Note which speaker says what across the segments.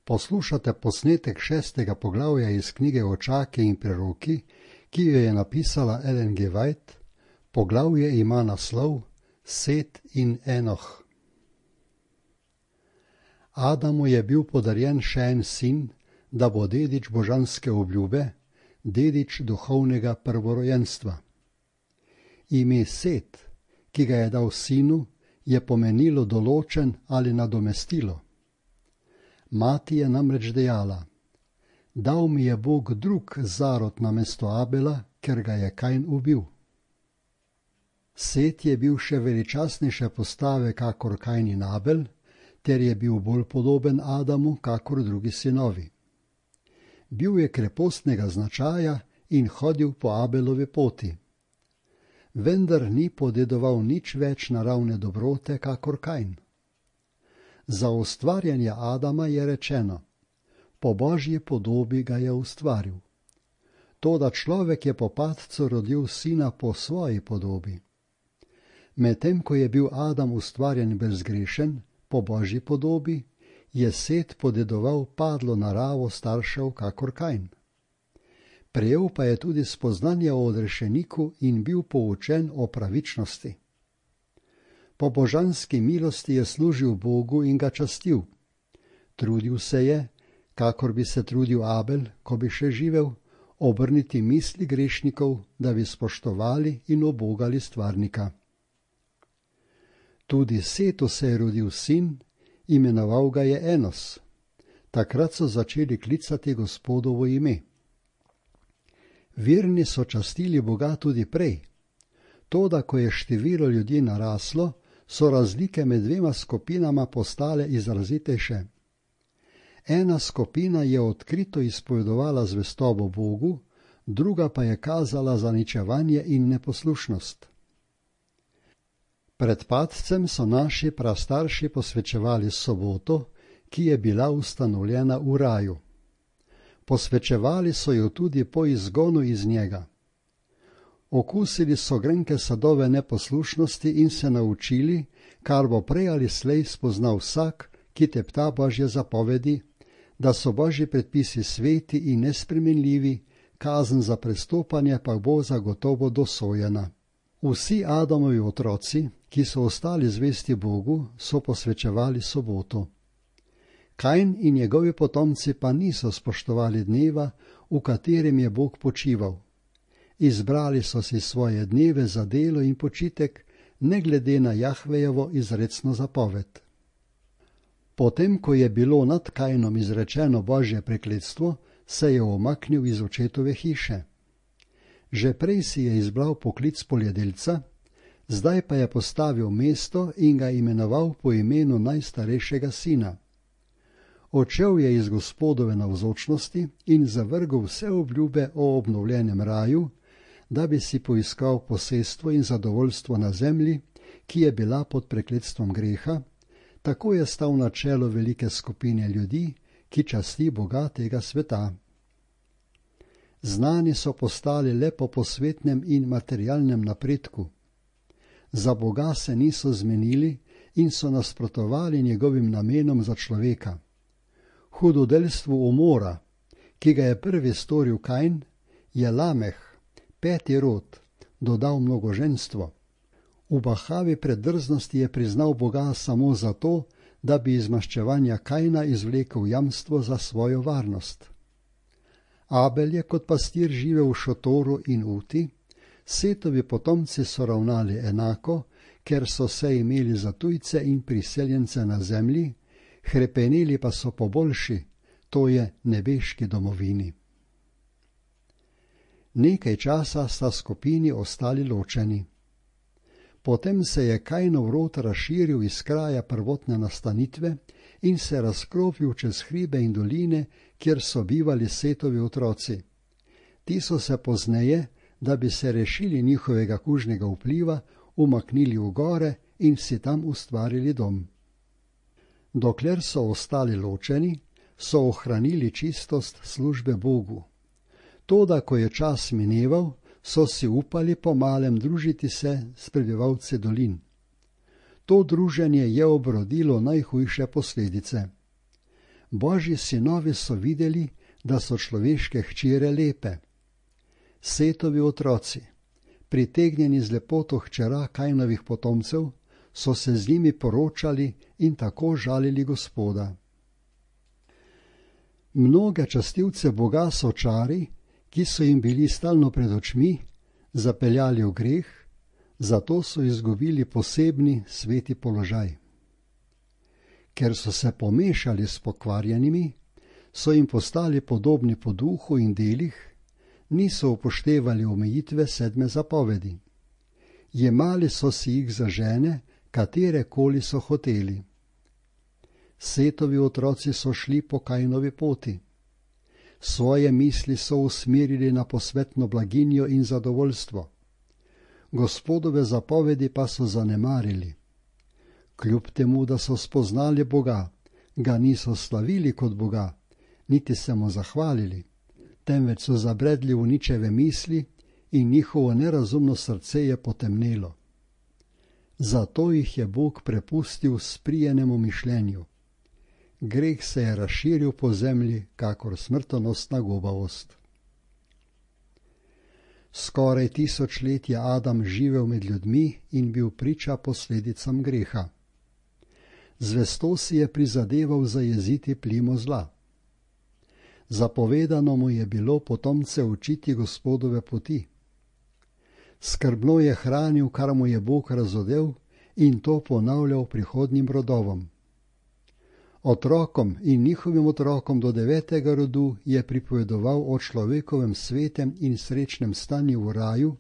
Speaker 1: Poslušate posnetek 6. poglavja iz knjige Očaki in preroki, ki jo je napisala Ellen G. White. Poglavje ima naslov Set in Enoh. Adamu je bil podarjen še en sin, da bo dedič božanske obljube, dedič duhovnega prvorojenstva. Ime Set, ki ga je dal sinu, je pomenilo določen ali nadomestilo. Mati je namreč dejala: dal mi je Bog drug zarod namesto Abela, ker ga je Kain ubil. Set je bil še veličastnejše postave kakor Kain in Abel, ter je bil bolj podoben Adamu kakor drugi sinovi. Bil je krepostnega značaja in hodil po Abelovi poti. Vendar ni podedoval nič več naravne dobrote kakor Kain. Za ustvarjanje Adama je rečeno: po Božji podobi ga je ustvaril. Toda človek je po padcu rodil sina po svoji podobi. Medtem ko je bil Adam ustvarjen brezgrešen, po Božji podobi, je Set podedoval padlo naravo staršev kakor Kain. Prejel pa je tudi spoznanje o odrešeniku in bil poučen o pravičnosti. Po božanski milosti je služil Bogu in ga častil. Trudil se je, kakor bi se trudil Abel, ko bi še živel, obrniti misli grešnikov, da bi spoštovali in ubogali stvarnika. Tudi Setu se je rodil sin, imenoval ga je Enos. Takrat so začeli klicati Gospodovo ime. Verni so častili Boga tudi prej. Toda, ko je število ljudi naraslo, so razlike med dvema skupinama postale izrazitejše. Ena skupina je odkrito izpovedovala zvestobo Bogu, druga pa je kazala zaničevanje in neposlušnost. Pred padcem so naši prastarši posvečevali soboto, ki je bila ustanovljena v raju. Posvečevali so jo tudi po izgonu iz njega. Okusili so grenke sadove neposlušnosti in se naučili, kar bo prej ali slej spoznal vsak, ki tepta Božje zapovedi, da so Božji predpisi sveti in nespremenljivi, kazen za prestopanje pa bo zagotovo dosojena. Vsi Adamovi otroci, ki so ostali zvesti Bogu, so posvečevali soboto. Kain in njegovi potomci pa niso spoštovali dneva, v katerem je Bog počival. Izbrali so si svoje dneve za delo in počitek, ne glede na Jahvejevo izrecno zapoved. Potem, ko je bilo nad Kainom izrečeno Božje prekletstvo, se je umaknil iz očetove hiše. Že prej si je izbral poklic poljedelca, zdaj pa je postavil mesto in ga imenoval po imenu najstarejšega sina. Odšel je iz Gospodove navzočnosti in zavrgel vse obljube o obnovljenem raju, da bi si poiskal posestvo in zadovoljstvo na zemlji, ki je bila pod prekletstvom greha, tako je stal na čelu velike skupine ljudi, ki časti Boga tega sveta. Znani so postali le po posvetnem in materialnem napredku. Za Boga se niso zmenili in so nasprotovali njegovim namenom za človeka. Hudodelstvu umora, ki ga je prvi storil Kain, je Lameh, peti rod, dodal mnogoženstvo. V bahavi predrznosti je priznal Boga samo zato, da bi iz maščevanja Kaina izvlekel jamstvo za svojo varnost. Abel je kot pastir živel v šotoru in uti, Setovi potomci so ravnali enako, ker so se imeli za tujce in priseljence na zemlji, hrepeneli pa so po boljši, to je nebeški domovini. Nekaj časa sta skupini ostali ločeni. Potem se je Kainov rod razširil iz kraja prvotne nastanitve in se razkropil čez hribe in doline, kjer so bivali Setovi otroci. Ti so se pozneje, da bi se rešili njihovega kužnega vpliva, umaknili v gore in si tam ustvarili dom. Dokler so ostali ločeni, so ohranili čistost službe Bogu. Toda, ko je čas mineval, so si upali pomalem družiti se s prebivalci dolin. To druženje je obrodilo najhujše posledice. Božji sinovi so videli, da so človeške hčere lepe. Setovi otroci, pritegnjeni z lepoto hčera Kainovih potomcev, so se z njimi poročali in tako žalili Gospoda. Mnoge častilce Boga so čari, ki so jim bili stalno pred očmi, zapeljali v greh, zato so izgubili posebni sveti položaj. Ker so se pomešali s pokvarjenimi, so jim postali podobni po duhu in delih, niso upoštevali omejitve 7. zapovedi. Jemali so si jih za žene, katerekoli so hoteli. Setovi otroci so šli po Kainovi poti. Svoje misli so usmerili na posvetno blaginjo in zadovoljstvo. Gospodove zapovedi pa so zanemarili. Kljub temu, da so spoznali Boga, ga niso slavili kot Boga, niti se mu zahvalili, temveč so zabredli v ničeve misli in njihovo nerazumno srce je potemnelo. Zato jih je Bog prepustil sprijenemu mišljenju. Greh se je razširil po zemlji, kakor smrtonosna gobavost. Skoraj 1000 let je Adam živel med ljudmi in bil priča posledicam greha. Zvesto si je prizadeval zajeziti plimo zla. Zapovedano mu je bilo potomce učiti Gospodove poti. Skrbno je hranil, kar mu je Bog razodel, in to ponavljal prihodnjim rodovom. Otrokom in njihovim otrokom do 9. rodu je pripovedoval o človekovem svetem in srečnem stanju v raju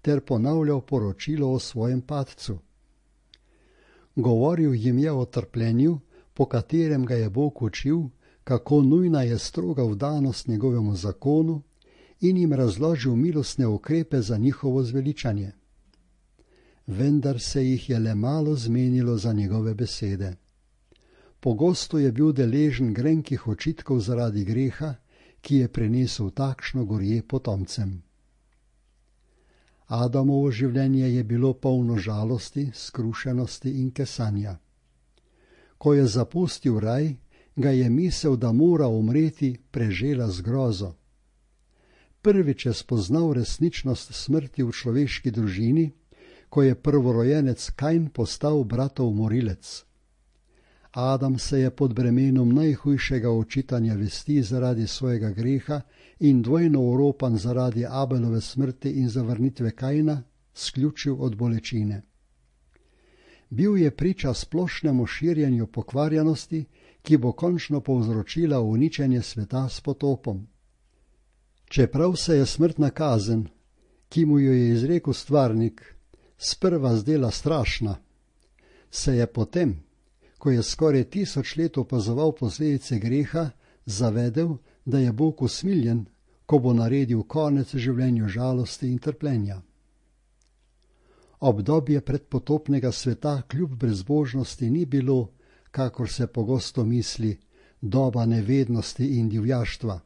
Speaker 1: ter ponavljal poročilo o svojem padcu. Govoril jim je o trpljenju, po katerem ga je Bog učil, kako nujna je stroga vdanost njegovemu zakonu, in jim razložil milostne ukrepe za njihovo zveličanje. Vendar se jih je le malo zmenilo za njegove besede. Pogosto je bil deležen grenkih očitkov zaradi greha, ki je prinesel takšno gorje potomcem. Adamovo življenje je bilo polno žalosti, skrušenosti in kesanja. Ko je zapustil raj, ga je misel, da mora umreti, prežela z grozo. Prvič je spoznal resničnost smrti v človeški družini, ko je prvorojenec Kain postal bratov morilec. Adam se je pod bremenom najhujšega očitanja vesti zaradi svojega greha in dvojno oropan zaradi Abelove smrti in zavrnitve Kaina sključil od bolečine. Bil je priča splošnemu širjenju pokvarjenosti, ki bo končno povzročila uničenje sveta s potopom. Čeprav se je smrtna kazen, ki mu jo je izrekel stvarnik, sprva zdela strašna, se je potem, ko je skoraj 1000 let opazoval posledice greha, zavedel, da je Bog usmiljen, ko bo naredil konec življenju žalosti in trpljenja. Obdobje predpotopnega sveta kljub brezbožnosti ni bilo, kakor se pogosto misli, doba nevednosti in divjaštva.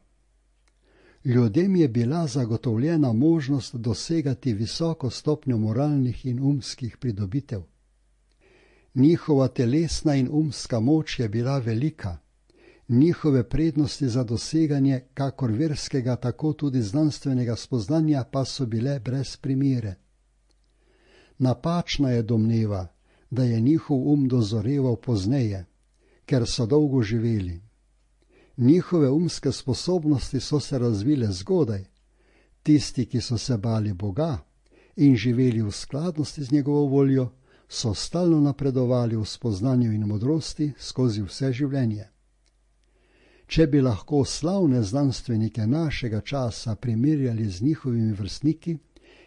Speaker 1: Ljudem je bila zagotovljena možnost dosegati visoko stopnjo moralnih in umskih pridobitev. Njihova telesna in umska moč je bila velika, njihove prednosti za doseganje kakor verskega, tako tudi znanstvenega spoznanja pa so bile brez primere. Napačna je domneva, da je njihov dozoreval pozneje, ker so dolgo živeli. Njihove umske sposobnosti so se razvile zgodaj. Tisti, ki so se bali Boga in živeli v skladnosti z njegovo voljo, so stalno napredovali v spoznanju in modrosti skozi vse življenje. Če bi lahko slavne znanstvenike našega časa primerjali z njihovimi vrstniki,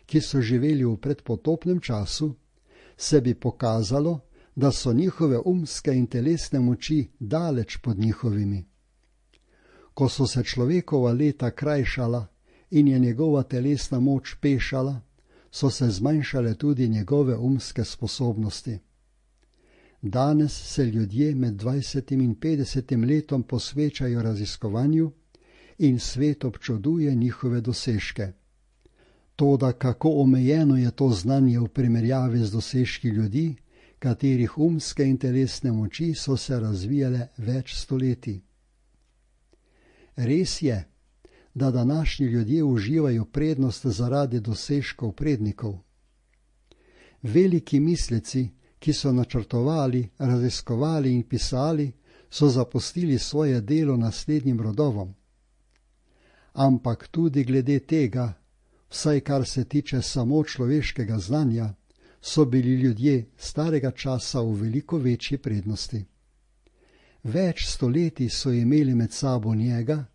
Speaker 1: ki so živeli v predpotopnem času, se bi pokazalo, da so njihove umske in telesne moči daleč pod njihovimi. Ko so se človekova leta krajšala in je njegova telesna moč pešala, so se zmanjšale tudi njegove umske sposobnosti. Danes se ljudje med 20 in 50 letom posvečajo raziskovanju in svet občuduje njihove dosežke. Toda kako omejeno je to znanje v primerjavi z dosežki ljudi, katerih umske in telesne moči so se razvijale več stoletij. Res je, da današnji ljudje uživajo prednost zaradi dosežkov prednikov. Veliki misleci, ki so načrtovali, raziskovali in pisali, so zapustili svoje delo naslednjim rodovom. Ampak tudi glede tega, vsaj kar se tiče samo človeškega znanja, so bili ljudje starega časa v veliko večji prednosti. Več stoletij so imeli med sabo njega,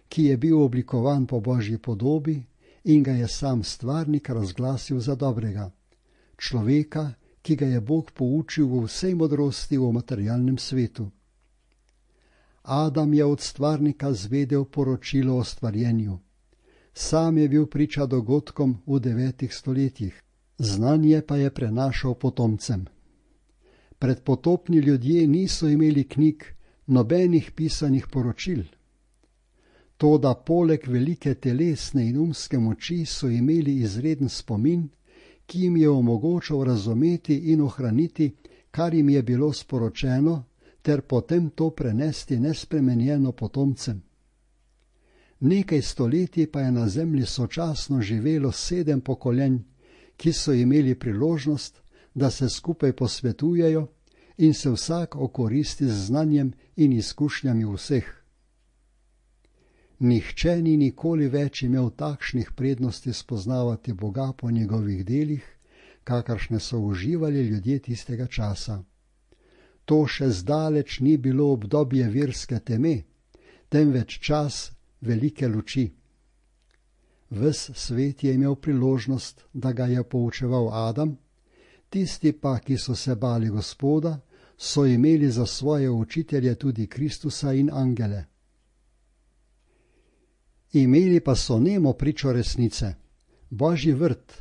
Speaker 1: ki je bil oblikovan po Božji podobi in ga je sam stvarnik razglasil za dobrega, človeka, ki ga je Bog poučil v vsej modrosti v materialnem svetu. Adam je od stvarnika zvedel poročilo o stvarjenju. Sam je bil priča dogodkom v 9 stoletjih, znanje pa je prenašal potomcem. Predpotopni ljudje niso imeli knjig, nobenih pisanih poročil. Toda poleg velike telesne in umske moči so imeli izreden spomin, ki jim je omogočal razumeti in ohraniti, kar jim je bilo sporočeno, ter potem to prenesti nespremenjeno potomcem. Nekaj stoletij pa je na zemlji sočasno živelo 7 pokolenj, ki so imeli priložnost, da se skupaj posvetujejo in se vsak okoristi z znanjem in izkušnjami vseh. Nihče ni nikoli več imel takšnih prednosti spoznavati Boga po njegovih delih, kakršne so uživali ljudje tistega časa. To še zdaleč ni bilo obdobje verske teme, temveč čas velike luči. Ves svet je imel priložnost, da ga je poučeval Adam, tisti pa, ki so se bali Gospoda, so imeli za svoje učitelje tudi Kristusa in angele. Imeli pa so nemo pričo resnice, Božji vrt,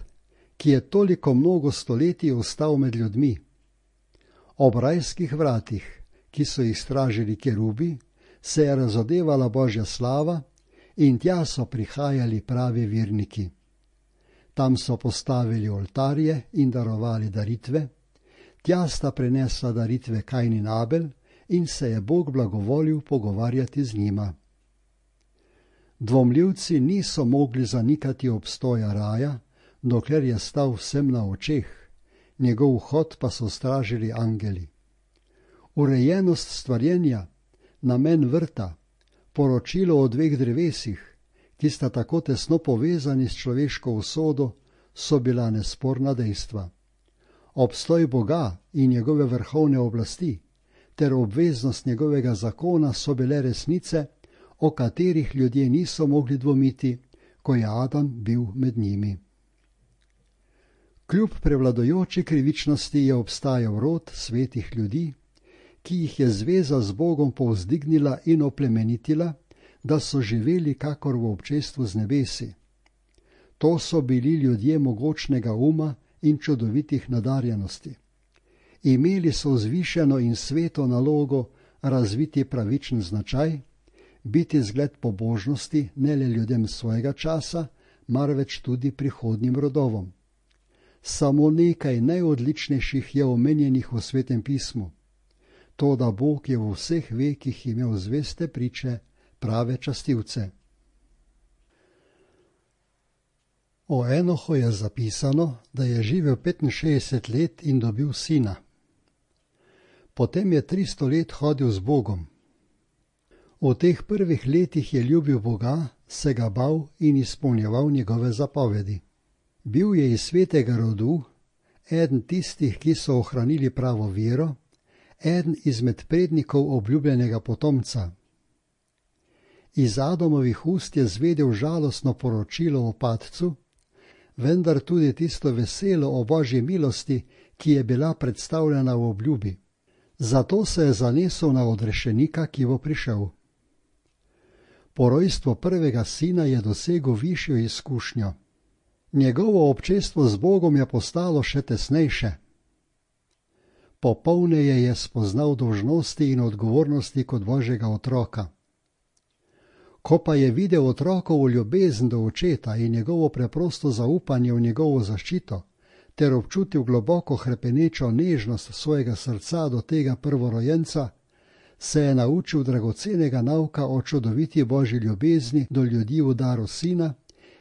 Speaker 1: ki je toliko mnogo stoletij ostal med ljudmi. Ob rajskih vratih, ki so jih stražili kerubi, se je razodevala Božja slava in tja so prihajali pravi verniki. Tam so postavili oltarje in darovali daritve, tja sta prinesla daritve Kain in Abel in se je Bog blagovolil pogovarjati z njima. Dvomljivci niso mogli zanikati obstoja raja, dokler je stal vsem na očeh, njegov vhod pa so stražili angeli. Urejenost stvarjenja, namen vrta, poročilo o 2 drevesih, ki sta tako tesno povezani s človeško usodo, so bila nesporna dejstva. Obstoj Boga in njegove vrhovne oblasti ter obveznost njegovega zakona so bile resnice, o katerih ljudje niso mogli dvomiti, ko je Adam bil med njimi. Kljub prevladujoči krivičnosti je obstajal rod svetih ljudi, ki jih je zveza z Bogom povzdignila in oplemenitila, da so živeli kakor v občestvu z nebesi. To so bili ljudje mogočnega uma in čudovitih nadarjenosti. Imeli so vzvišeno in sveto nalogo razviti pravičen značaj, biti zgled pobožnosti ne le ljudem svojega časa, marveč tudi prihodnjim rodovom. Samo nekaj najodličnejših je omenjenih v Svetem pismu. To, da Bog je v vseh vekih imel zveste priče, prave častilce. O Enohu je zapisano, da je živel 65 let in dobil sina. Potem je 300 let hodil z Bogom. V teh prvih letih je ljubil Boga, se ga bal in izpolnjeval njegove zapovedi. Bil je iz svetega rodu, eden tistih, ki so ohranili pravo vero, eden izmed prednikov obljubljenega potomca. Iz Adamovih ust je zvedel žalostno poročilo o padcu, vendar tudi tisto veselo o Božji milosti, ki je bila predstavljena v obljubi. Zato se je zanesel na odrešenika, ki bo prišel. Po rojstvu prvega sina je dosegel višjo izkušnjo. Njegovo občestvo z Bogom je postalo še tesnejše. Popolneje je spoznal dolžnosti in odgovornosti kot Božjega otroka. Ko pa je videl otrokovo ljubezen do očeta in njegovo preprosto zaupanje v njegovo zaščito, ter občutil globoko hrepenečo nežnost svojega srca do tega prvorojenca, se je naučil dragocenega nauka o čudoviti Božji ljubezni do ljudi v daru Sina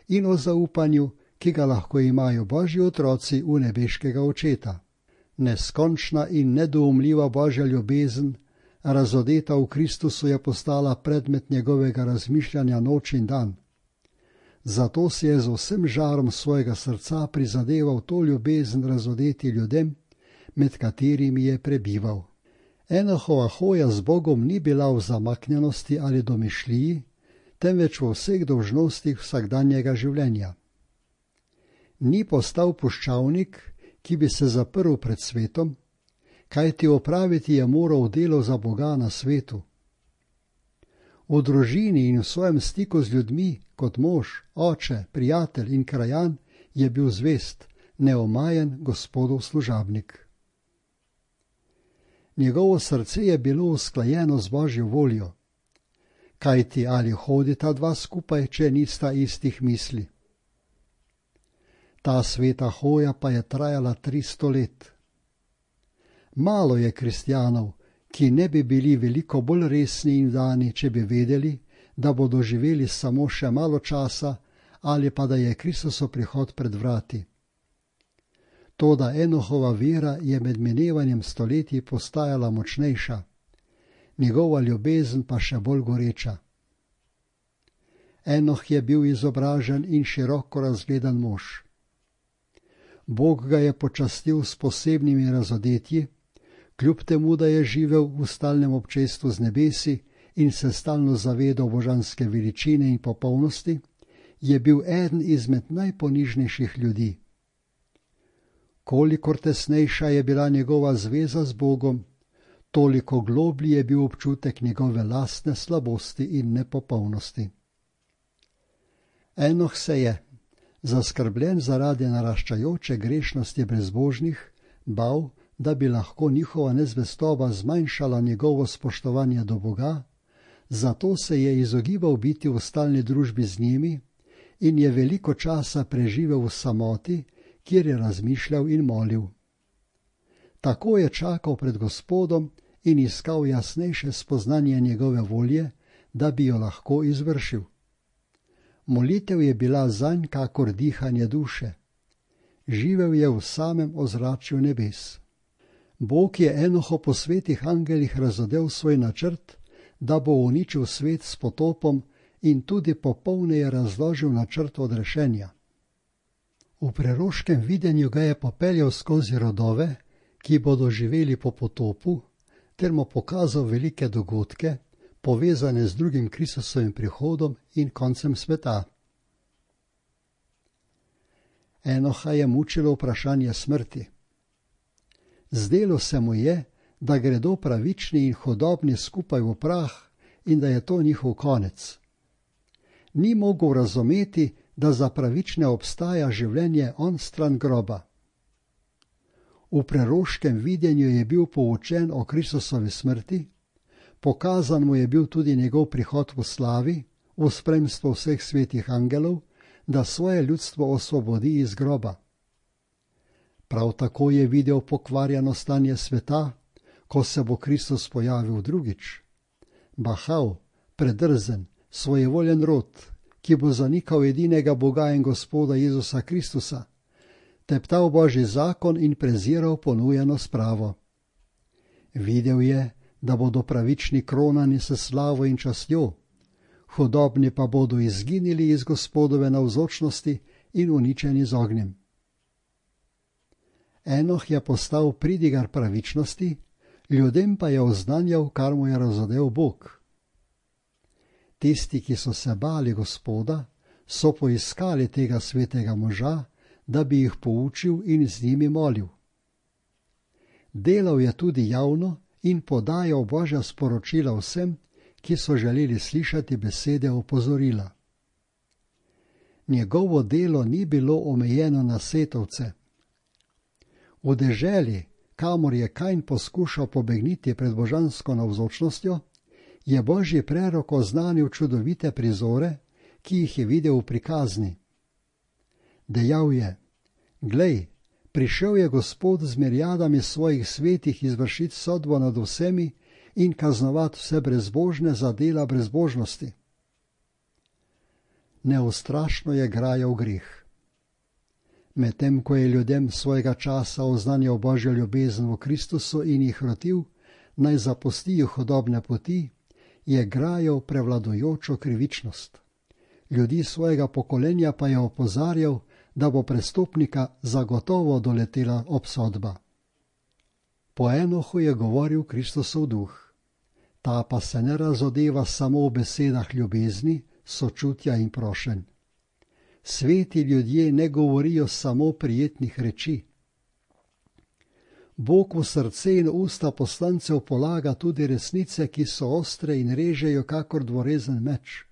Speaker 1: in o zaupanju, ki ga lahko imajo Božji otroci v nebeškega Očeta. Neskončna in nedoumljiva Božja ljubezen, razodeta v Kristusu, je postala predmet njegovega razmišljanja noč in dan. Zato si je z vsem žarom svojega srca prizadeval to ljubezen razodeti ljudem, med katerimi je prebival. Enohova hoja z Bogom ni bila v zamaknjenosti ali domišljiji, temveč v vseh dolžnostih vsakdanjega življenja. Ni postal puščavnik, ki bi se zaprl pred svetom, kajti opraviti je moral delo za Boga na svetu. V družini in v svojem stiku z ljudmi, kot mož, oče, prijatelj in krajan, je bil zvest, neomajen Gospodov služabnik. Njegovo srce je bilo usklajeno z Božjo voljo, kajti ali hodita dva skupaj, če nista istih misli. Ta sveta hoja pa je trajala 300 let. Malo je kristjanov, ki ne bi bili veliko bolj resni in dani, če bi vedeli, da bodo živeli samo še malo časa ali pa da je Kristusov prihod pred vrati. Toda Enohova vera je med minevanjem stoletij postajala močnejša, njegova ljubezen pa še bolj goreča. Enoh je bil izobražen in široko razgledan mož. Bog ga je počastil s posebnimi razodetji, kljub temu, da je živel v stalnem občestvu z nebesi in se stalno zavedal božanske veličine in popolnosti, je bil eden izmed najponižnejših ljudi. Kolikor tesnejša je bila njegova zveza z Bogom, toliko globlji je bil občutek njegove lastne slabosti in nepopolnosti. Enoh se je, zaskrbljen zaradi naraščajoče grešnosti brezbožnih, bal, da bi lahko njihova nezvestoba zmanjšala njegovo spoštovanje do Boga, zato se je izogibal biti v stalni družbi z njimi in je veliko časa preživel v samoti, kjer je razmišljal in molil. Tako je čakal pred Gospodom in iskal jasnejše spoznanje njegove volje, da bi jo lahko izvršil. Molitev je bila zanj kakor dihanje duše. Živel je v samem ozračju nebes. Bog je Enohu po svetih angelih razodel svoj načrt, da bo uničil svet s potopom in tudi popolneje razložil načrt odrešenja. V preroškem videnju ga je popeljal skozi rodove, ki bodo živeli po potopu, ter mu pokazal velike dogodke, povezane z drugim Kristusovim prihodom in koncem sveta. Enoha je mučilo vprašanje smrti. Zdelo se mu je, da gredo pravični in hudobni skupaj v prah in da je to njihov konec. Ni mogel razumeti, da za pravične obstaja življenje onstran groba. V preroškem videnju je bil poučen o Kristusovi smrti, pokazan mu je bil tudi njegov prihod v slavi, v spremstvu vseh svetih angelov, da svoje ljudstvo osvobodi iz groba. Prav tako je videl pokvarjeno stanje sveta, ko se bo Kristus pojavil drugič. Bahav, predrzen, svojevoljen rod, ki bo zanikal edinega Boga in Gospoda Jezusa Kristusa, teptal Božji zakon in preziral ponujeno spravo. Videl je, da bodo pravični kronani s slavo in častjo, hudobni pa bodo izginili iz Gospodove navzočnosti in uničeni z ognjem. Enoh je postal pridigar pravičnosti, ljudem pa je oznanjal, kar mu je razodel Bog. Tisti, ki so se bali Gospoda, so poiskali tega svetega moža, da bi jih poučil in z njimi molil. Delal je tudi javno in podajal Božja sporočila vsem, ki so želeli slišati besede opozorila. Njegovo delo ni bilo omejeno na setovce. V deželi, kamor je Kain poskušal pobegniti pred božansko navzočnostjo, je Božji prerok oznanil čudovite prizore, ki jih je videl v prikazni. Dejal je: Glej, prišel je Gospod z mirjadami svojih svetih izvršiti sodbo nad vsemi in kaznovati vse brezbožne za dela brezbožnosti. Neustrašno je grajal greh. Medtem ko je ljudem svojega časa oznanjal Božjo ljubezen v Kristusu in jih rotil, naj zapustijo hudobne poti, je grajal prevladujočo krivičnost. Ljudi svojega pokolenja pa je opozarjal, da bo prestopnika zagotovo doletela obsodba. Po Enohu je govoril Kristusov duh. Ta pa se ne razodeva samo v besedah ljubezni, sočutja in prošenj. Sveti ljudje ne govorijo samo prijetnih reči. Bog v srce in usta poslancev polaga tudi resnice, ki so ostre in režejo kakor dvorezen meč.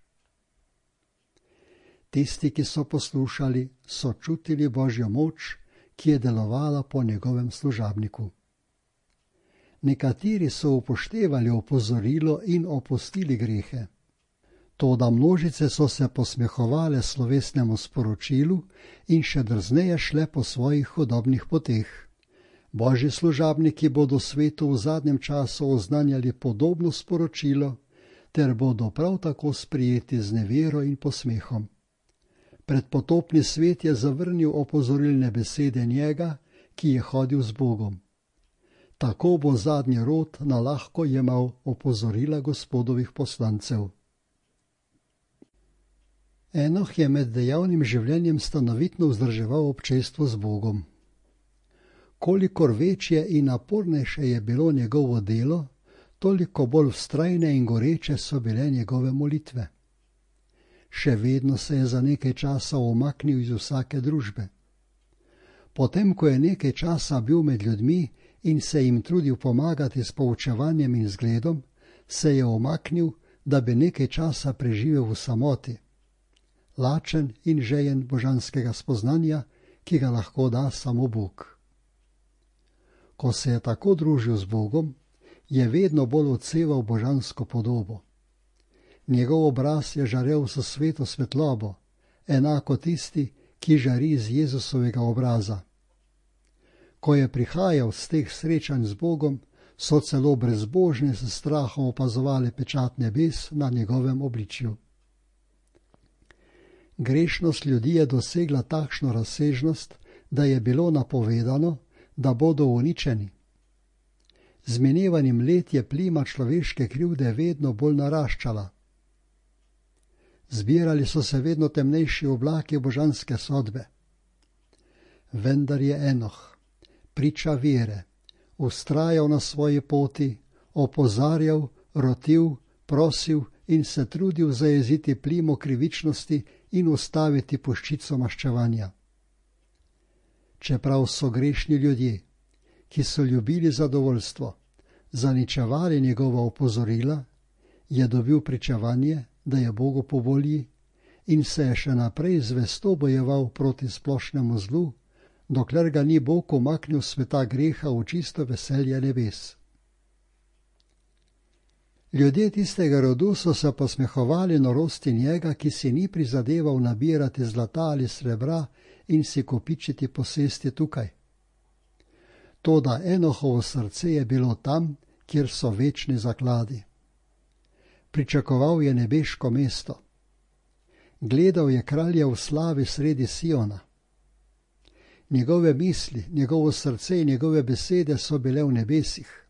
Speaker 1: Tisti, ki so poslušali, so čutili Božjo moč, ki je delovala po njegovem služabniku. Nekateri so upoštevali opozorilo in opustili grehe. Toda množice so se posmehovale slovesnemu sporočilu in še drzneje šle po svojih hudobnih poteh. Božji služabniki bodo svetu v zadnjem času oznanjali podobno sporočilo, ter bodo prav tako sprijeti z nevero in posmehom. Predpotopni svet je zavrnil opozorilne besede njega, ki je hodil z Bogom. Tako bo zadnji rod na lahko jemal opozorila Gospodovih poslancev. Enoh je med dejavnim življenjem stanovitno vzdrževal občestvo z Bogom. Kolikor večje in napornejše je bilo njegovo delo, toliko bolj vztrajne in goreče so bile njegove molitve. Še vedno se je za nekaj časa umaknil iz vsake družbe. Potem, ko je nekaj časa bil med ljudmi in se jim trudil pomagati s poučevanjem in zgledom, se je umaknil, da bi nekaj časa preživel v samoti. Lačen in žejen božanskega spoznanja, ki ga lahko da samo Bog. Ko se je tako družil z Bogom, je vedno bolj odseval božansko podobo. Njegov obraz je žarel s sveto svetlobo, enako tisti, ki žari iz Jezusovega obraza. Ko je prihajal z teh srečanj z Bogom, so celo brezbožni s strahom opazovali pečat nebes na njegovem obličju. Grešnost ljudi je dosegla takšno razsežnost, da je bilo napovedano, da bodo uničeni. Z minevanjem let je plima človeške krivde vedno bolj naraščala. Zbirali so se vedno temnejši oblaki božanske sodbe. Vendar je Enoh, priča vere, vztrajal na svoji poti, opozarjal, rotil, prosil in se trudil zajeziti plimo krivičnosti in ustaviti puščico maščevanja. Čeprav so grešni ljudje, ki so ljubili zadovoljstvo, zaničevali njegova opozorila, je dobil pričevanje, da je Bogu po volji in se je še naprej zvesto bojeval proti splošnemu zlu, dokler ga ni Bog umaknil sveta greha v čisto veselje nebes. Ljudje tistega rodu so se posmehovali norosti njega, ki si ni prizadeval nabirati zlata ali srebra in si kopičiti posesti tukaj. Toda Enohovo srce je bilo tam, kjer so večni zakladi. Pričakoval je nebeško mesto. Gledal je kralja v slavi sredi Siona. Njegove misli, njegovo srce in njegove besede so bile v nebesih.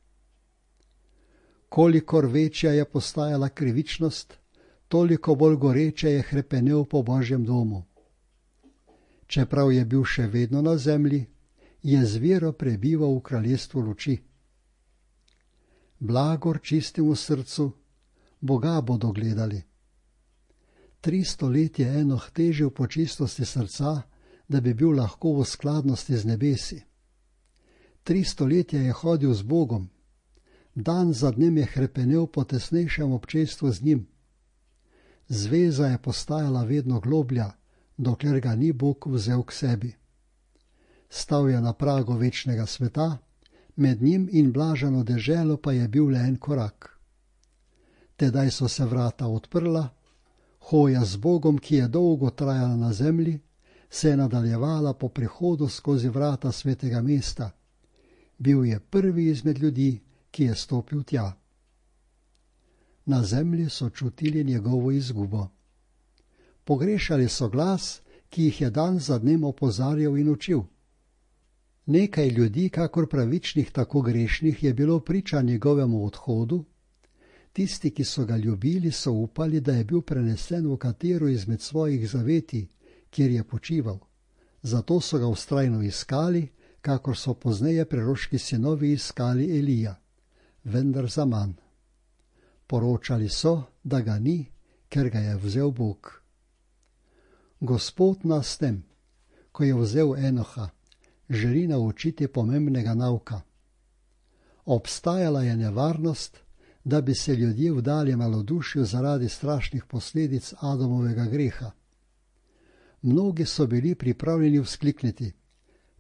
Speaker 1: Kolikor večja je postajala krivičnost, toliko bolj goreče je hrepenel po Božjem domu. Čeprav je bil še vedno na zemlji, je z vero prebival v kraljestvu luči. Blagor čistemu srcu, Boga bodo gledali. 300 let je Enoh težil po čistosti srca, da bi bil lahko v skladnosti z nebesi. 300 let je hodil z Bogom. Dan za dnem je hrepenel po tesnejšem občestvu z njim. Zveza je postajala vedno globlja, dokler ga ni Bog vzel k sebi. Stal je na pragu večnega sveta, med njim in blaženo deželo pa je bil le en korak. Tedaj so se vrata odprla, hoja z Bogom, ki je dolgo trajala na zemlji, se je nadaljevala po prihodu skozi vrata svetega mesta. Bil je prvi izmed ljudi, ki je stopil tja. Na zemlji so čutili njegovo izgubo. Pogrešali so glas, ki jih je dan za dnem opozarjal in učil. Nekaj ljudi, kakor pravičnih, tako grešnih, je bilo priča njegovemu odhodu. Tisti, ki so ga ljubili, so upali, da je bil prenesen v katero izmed svojih zavetij, kjer je počival. Zato so ga vztrajno iskali, kakor so pozneje preroški sinovi iskali Elija, vendar zaman. Poročali so, da ga ni, ker ga je vzel Bog. Gospod nas tem, ko je vzel Enoha, želi naučiti pomembnega nauka. Obstajala je nevarnost, da bi se ljudje vdali malodušju zaradi strašnih posledic Adamovega greha. Mnogi so bili pripravljeni vzklikniti: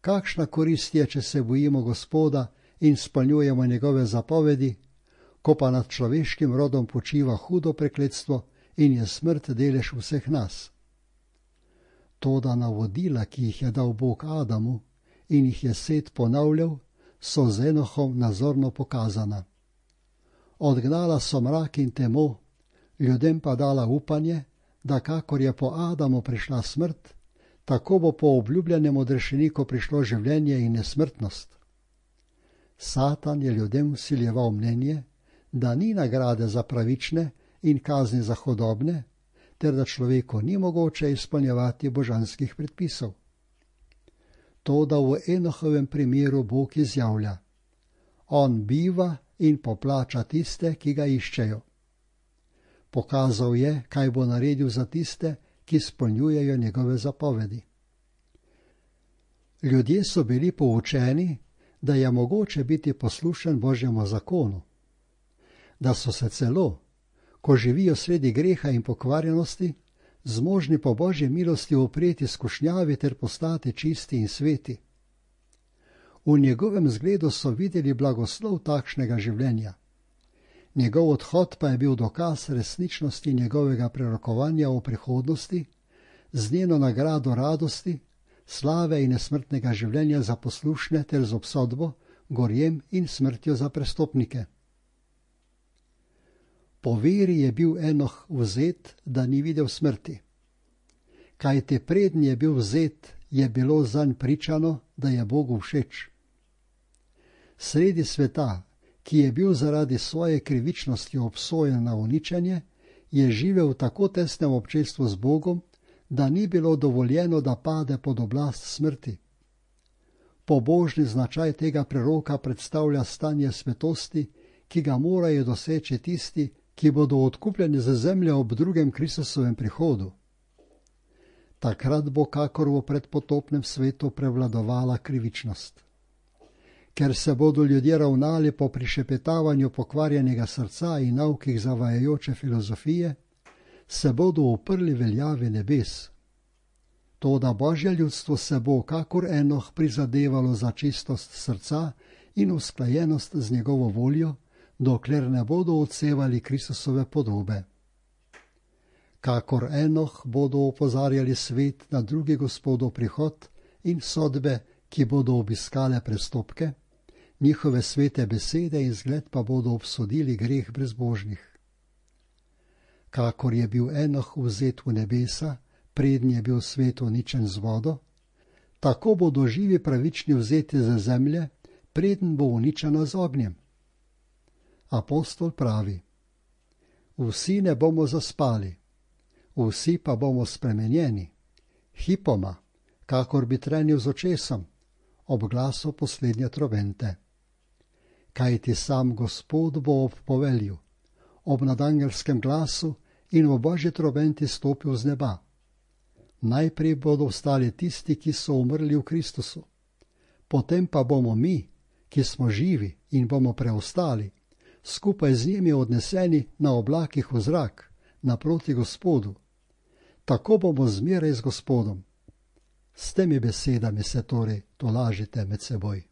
Speaker 1: kakšna korist je, če se bojimo Gospoda in spolnjujemo njegove zapovedi, ko pa nad človeškim rodom počiva hudo prekletstvo in je smrt delež vseh nas. Toda navodila, ki jih je dal Bog Adamu in jih je Set ponavljal, so z Enohom nazorno pokazana. Odgnala so mrak in temo, ljudem pa dala upanje, da kakor je po Adamu prišla smrt, tako bo po obljubljenem odrešeniku prišlo življenje in nesmrtnost. Satan je ljudem vsiljeval mnenje, da ni nagrade za pravične in kazni za hudobne, ter da človeku ni mogoče izpolnjevati božanskih predpisov. Toda v Enohovem primeru Bog izjavlja: on biva in poplača tiste, ki ga iščejo. Pokazal je, kaj bo naredil za tiste, ki izpolnjujejo njegove zapovedi. Ljudje so bili poučeni, da je mogoče biti poslušen Božjemu zakonu, da so se celo, ko živijo sredi greha in pokvarjenosti, zmožni po Božji milosti upreti skušnjavi ter postati čisti in sveti. V njegovem zgledu so videli blagoslov takšnega življenja. Njegov odhod pa je bil dokaz resničnosti njegovega prerokovanja o prihodnosti, z njeno nagrado radosti, slave in nesmrtnega življenja za poslušne ter z obsodbo, gorjem in smrtjo za prestopnike. Po veri je bil Enoh vzet, da ni videl smrti. Kajti preden je bil vzet, je bilo zanj pričano, da je Bogu všeč. Sredi sveta, ki je bil zaradi svoje krivičnosti obsojen na uničenje, je živel v tako tesnem občestvu z Bogom, da ni bilo dovoljeno, da pade pod oblast smrti. Pobožni značaj tega preroka predstavlja stanje svetosti, ki ga morajo doseči tisti, ki bodo odkupljeni za zemljo ob drugem Kristusovem prihodu. Takrat bo kakor v predpotopnem svetu prevladovala krivičnost. Ker se bodo ljudje ravnali po prišepetavanju pokvarjenega srca in naukih zavajajoče filozofije, se bodo uprli veljavi nebes. Toda Božje ljudstvo se bo, kakor Enoh, prizadevalo za čistost srca in usklajenost z njegovo voljo, dokler ne bodo odsevali Kristusove podobe. Kakor Enoh bodo opozarjali svet na drugi Gospodov prihod in sodbe, ki bodo obiskale prestopke, njihove svete besede in zgled pa bodo obsodili greh brezbožnih. Kakor je bil Enoh vzet v nebesa, preden je bil svet uničen z vodo, tako bodo živi pravični vzeti ze zemlje, preden bo uničena z ognjem. Apostol pravi: vsi ne bomo zaspali, vsi pa bomo spremenjeni, hipoma, kakor bi trenil z očesom, ob glasu poslednje trobente. Kajti sam Gospod bo ob povelju, ob nadangelskem glasu in v Božji trobenti stopil z neba. Najprej bodo vstali tisti, ki so umrli v Kristusu, potem pa bomo mi, ki smo živi in bomo preostali, skupaj z njimi odneseni na oblakih v zrak, naproti Gospodu. Tako bomo zmeraj z Gospodom. S temi besedami se torej tolažite med seboj.